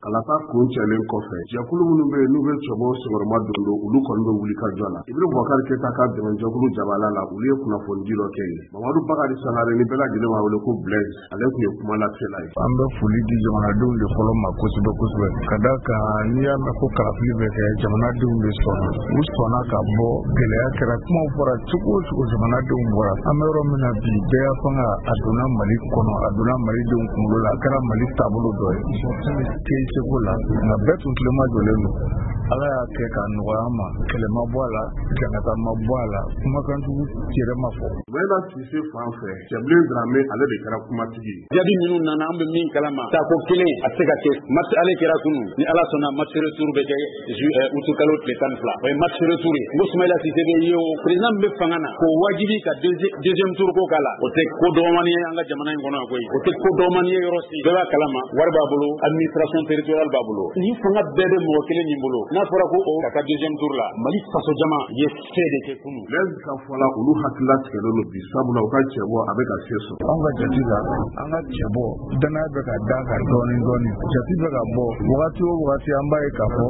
Kalata kuncɛlen kɔfɛ, jɛkulu minnu bɛ yen n'u bɛ cɛbɔ senkɔrɔma don don, olu kɔni bɛ wuli ka jɔ la. Ibrahim Boubacar Keita ka dɛmɛjɛkulu jabala la, olu ye kunnafonidi dɔ kɛ yen. Mamadu Bakari Sangare, ni bɛɛ lajɛlen b'a wele ko Blaise, ale tun ye kuma lasela ye. An bɛ foli di jamanadenw de fɔlɔ ma kosɛbɛ kosɛbɛ, ka da kan n'i y'a mɛn ko kalafili bɛ kɛ, jamanadenw de sɔnna, u sɔnna ka bɔ. Gɛlɛya kɛra, kumaw fɔra cogo o cogo, jamanadenw bɔra. An bɛ yɔrɔ min na bi, bɛɛ fanga a donna Mali kɔnɔ, a donna Malidenw kunkolo la, a kɛra Mali taabolo dɔ ye k'e seko la, nka bɛɛ tun tilema jɔlen don. Ala y'a kɛ k'a nɔgɔya an ma, kɛlɛ ma bɔ a la, jangata ma bɔ a la, kumakanjugu yɛrɛ ma fɔ. Soumaïla Cissé fan fɛ, Cɛbilen Dramé, ale de kɛra kumatigi ye. Jaabi minnu nana, an bɛ min kalama, tako kelen a tɛ se ka kɛ. Match aller kɛra kunun, ni Ala sɔnna, match retour bɛ kɛ août kalo tile 12, o ye match retour ye. N ko Soumaïla Cissé bɛ ye, o président min bɛ fanga na, k'o wajibi ka deuxième tour ko k'a la, o tɛ ko dɔgɔmani ye an ka jamana in kɔnɔ yan koyi, o tɛ ko dɔgɔmani ye yɔrɔ si. Bɛɛ b'a kalama, wari b'a bolo, administration territoriale b'a bolo, nin fanga bɛɛ bɛ mɔgɔ kelen min bolo, n'a fɔra ko o ka taa deuxième tour la, Mali faso jama ye fɛ de kɛ kunun. Blaise ka fɔ la, olu hakilila tigɛlen don bi, sabula u ka cɛbɔ a bɛ ka se sɔrɔ. Anw ka jate la, an ka cɛbɔ danaya bɛ ka da kan dɔɔni dɔɔni, jate bɛ ka bɔ wagati o wagati, an b'a ye k'a fɔ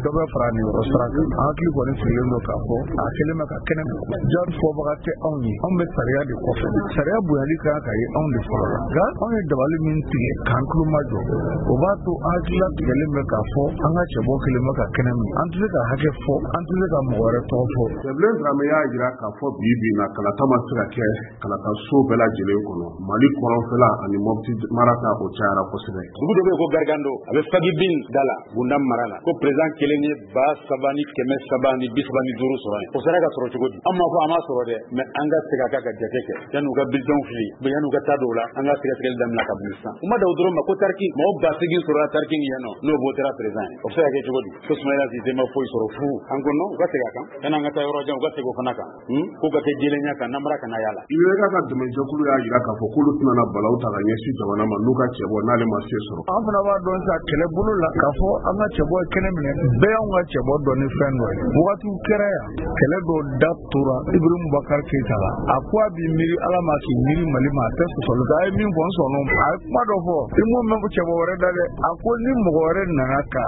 dɔ bɛ fara niyɔrɔ sara kan. An hakili kɔni sigilen don k'a fɔ a kɛlen bɛ ka kɛnɛ jaabi fɔbaga tɛ anw ye, anw bɛ sariya de kɔfɛ, sariya bonyali kan ka ye anw de fɔlɔ la. Nka anw ye dabali min tigɛ k'an tulo majɔ, o b'a to an hakilila tigɛlen bɛ k'a fɔ an ka cɛbɔ kɛlen bɛ ka kɛnɛ min, an tɛ se ka hakɛ fɔ, an tɛ se ka mɔgɔ wɛrɛ tɔgɔ fɔ. Cɛbilen Dramé y'a jira k'a fɔ bi bi in na, kalata ma se ka kɛ kalata so bɛɛ lajɛlen kɔnɔ. Mali kɔrɔnfɛla ani Mopti mara ta, o cayara kosɛbɛ. Dugu dɔ bɛ yen ko Gargando, a bɛ Fagibin da la, Gunda mara la, ko président kelen ye 3335 sɔrɔ yen. O sera ka sɔrɔ cogo di? An m'a fɔ a ma sɔrɔ dɛ, mais an ka segin a kan ka jate kɛ yanni u ka bulletin fili, yanni u ka taa dɔw la, an ka sɛgɛsɛgɛli daminɛ kabini sisan. U ma da o dɔrɔn ma ko Tariki, mɔgɔ 8000 sɔrɔla Tariki yen nɔ, n'o votera président ye, o bɛ se ka kɛ cogo di? Ko Soumaïla Cissé ma foyi sɔrɔ fu. An ko non, u ka segin a kan, yanni an ka taa yɔrɔ jan, u ka segin o fana kan, k'u ka kɛ jɛlenya kan, namara kana y'a la. IBK ka dɛmɛjɛkulu y'a jira k'a fɔ k'olu tɛna na balawu ta ka ɲɛsin jamana ma n'u ka cɛbɔ n'ale ma se sɔrɔ. An fana b'a dɔn sa kɛlɛ bolo la k'a fɔ an ka cɛbɔ ye kɛnɛ minɛ, bɛɛ y'anw ka cɛbɔ dɔn ni fɛn dɔ ye. Wagatiw kɛra yan, kɛlɛ dɔw da tora Ibrahim Boubacar Keita la, a ko a b'i miiri Ala ma k'i miiri Mali ma, a tɛ sɔsɔli kɛ. A ye min fɔ, n sɔnn'o ma. A ye kuma dɔ fɔ, i m'o mɛn cɛbɔ wɛrɛ da dɛ. A ko ni mɔgɔ wɛrɛ nana ka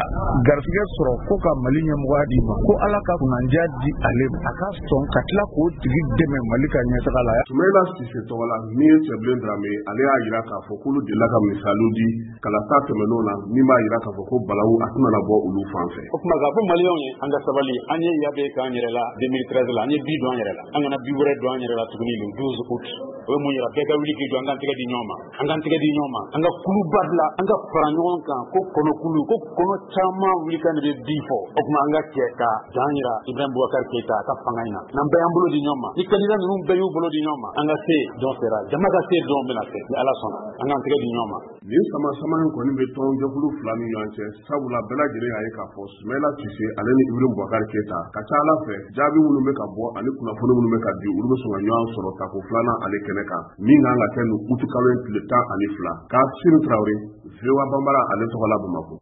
garisɛgɛ sɔrɔ ko ka Mali ɲɛmɔgɔya d'i ma, ko Ala ka kunnandiya di ale ma, a ka sɔn ka tila k'o tigi dɛmɛ Mali ka ɲɛtaga la. Soumaïla Cissé tɔgɔ la, min ye Cɛbilen Dramé ye, ale y'a jira k'a fɔ k'olu delila ka misaliw di kalata tɛmɛnenw na, min b'a jira k'a fɔ ko balawu a tɛna na bɔ olu fan fɛ. O tuma k'a fɔ Maliyɛnw ye, an ka sabali, an ye yabe k'an yɛrɛ la 2013 la, an ye bi don an yɛrɛ la, an kana bi wɛrɛ don an yɛrɛ la tuguni le 12 août. O ye mun yira? Bɛɛ ka wuli k'i jɔ, an k'an tɛgɛ di ɲɔgɔn ma, an k'an tɛgɛ di ɲɔgɔn ma, an ka kuluba bila, an ka fara ɲɔgɔn kan, ko kɔnɔkulu, ko kɔnɔ caman wuli kan de bɛ bi fɔ. O tuma an ka cɛ ka dan yira Ibrahim Boubacar Keita a ka fanga in na, n'an bɛɛ y'an bolo di ɲɔgɔn ma, ni candidat ninnu bɛɛ y'u bolo di ɲɔgɔn ma, an ka se dɔn sera, jama ka se dɔn bɛna se, ni Ala sɔnna, an k'an tɛgɛ di ɲɔgɔn ma. Nin sama sama in kɔni bɛ tɔnjɛkulu fila ni ɲɔgɔn cɛ, sabula bɛɛ lajɛlen y'a ye k'a fɔ Soumaïla Cissé ale ni Ibrahim Boubacar Keita ka ca Ala fɛ, jaabi minnu bɛ ka bɔ ani kunnafoni minnu bɛ ka di, olu bɛ sɔn ka ɲɔgɔn sɔrɔ tako filanan ale kɛnɛ kan, min kan ka kɛ nin uti kalo in tile 12. Kassim Traoré, VOA Bambara ale tɔgɔ la Bamakɔ.